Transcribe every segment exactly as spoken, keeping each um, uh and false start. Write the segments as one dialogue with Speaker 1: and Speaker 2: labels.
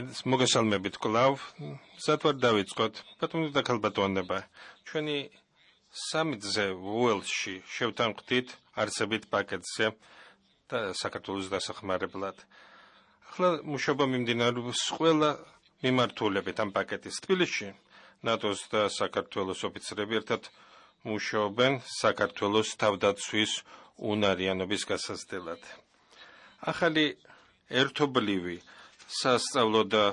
Speaker 1: მოგესალმებით კვლავ, სად ვარ დავიწყოთ, ბატონო და ქალბატონებო, ჩვენი სამი-ძე უელსში შევთანხმდით არსებით პაკეტზე და საქართველოს დასახმარებლად. ახლა მუშაობა მიმდინარეობს ყველა მიმართულებით ამ პაკეტის. თბილისში ნატოს და საქართველოს ოფიცრები ერთად მუშაობენ საქართველოს თავდაცვის უნარიანობის გასაზრდელად. ახალი ერთობლივი სასწავლო და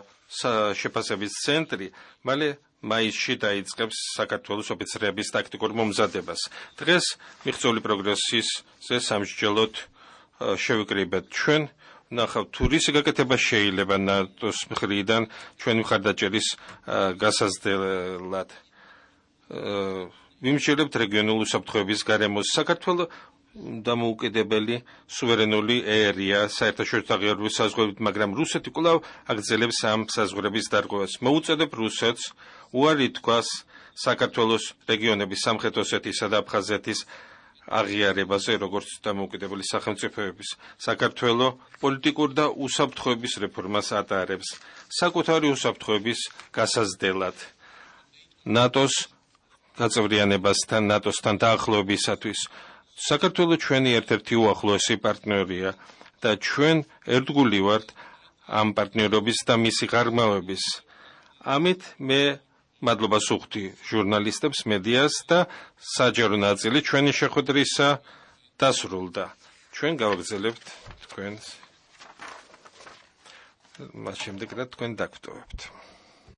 Speaker 1: შეფასების ცენტრი მალე მაისში დაიწყებს საქართველოს ოფიცრების ტაქტიკურ მომზადებას. დღეს მიღწეული პროგრესის სამსჯელოდ შევიკრიბეთ ჩვენ, ვნახავთ თუ რისი გაკეთება შეიძლება ნატოს მხრიდან ჩვენი მხარდაჭერის გასაზრდელად. ვიმსჯელებთ რეგიონულ უსაფრთხოების გარემოს. საქართველო დამოუკიდებელი სუვერენული ერია საერთაშორისო აღიარების საზღვრებით, მაგრამ რუსეთი კვლავ აგრძელებს ამ საზღვრების დარღვევას. მოუწოდებ რუსეთს უარი თქვას საქართველოს რეგიონების სამხრეთ ოსეთისა და აფხაზეთის აღიარებაზე, როგორც დამოუკიდებელი სახელმწიფოების. საქართველო პოლიტიკურ და უსაფრთხოების რეფორმას ატარებს საკუთარი უსაფრთხოების გასაზრდელად. ნატოს გაწევრიანებასთან, ნატოსთან დაახლოებისათვის. საქართველო ჩვენი ერთ-ერთი უახლოესი პარტნიორია და ჩვენ ერთგული ვართ ამ პარტნიორობის და მისი ღრმავების. ამით მე მადლობას ვუხდი ჟურნალისტებს, მედიას და საჯარო ნაწილი ჩვენი შეხვედრისა დასრულდა. ჩვენ გავაგრძელებთ თქვენს მას შემდეგ რა თქვენ დაგვტოვებთ.